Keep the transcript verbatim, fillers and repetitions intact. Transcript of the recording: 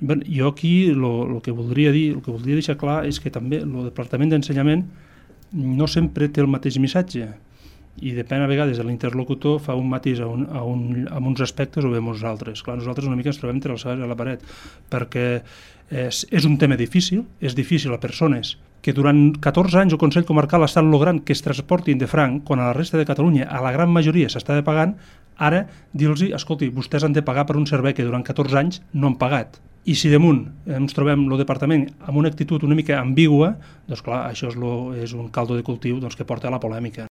Bé, jo aquí el que voldria dir, el que voldria deixar clar és que també el Departament d'Ensenyament no sempre té el mateix missatge i depèn a vegades de l'interlocutor, fa un matís a, un, a, un, a uns aspectes o veiem uns altres. Clar, nosaltres una mica ens trobem entre l'alçada i la paret, perquè és, és un tema difícil, és difícil a persones que durant catorze anys el Consell Comarcal ha estat logrant que es transportin de franc, quan a la resta de Catalunya, a la gran majoria s'estava pagant, ara dir-los, escolti, vostès han de pagar per un servei que durant catorze anys no han pagat. I si damunt ens trobem el departament amb una actitud una mica ambigua, doncs clar, això és, lo, és un caldo de cultiu doncs, que porta a la polèmica.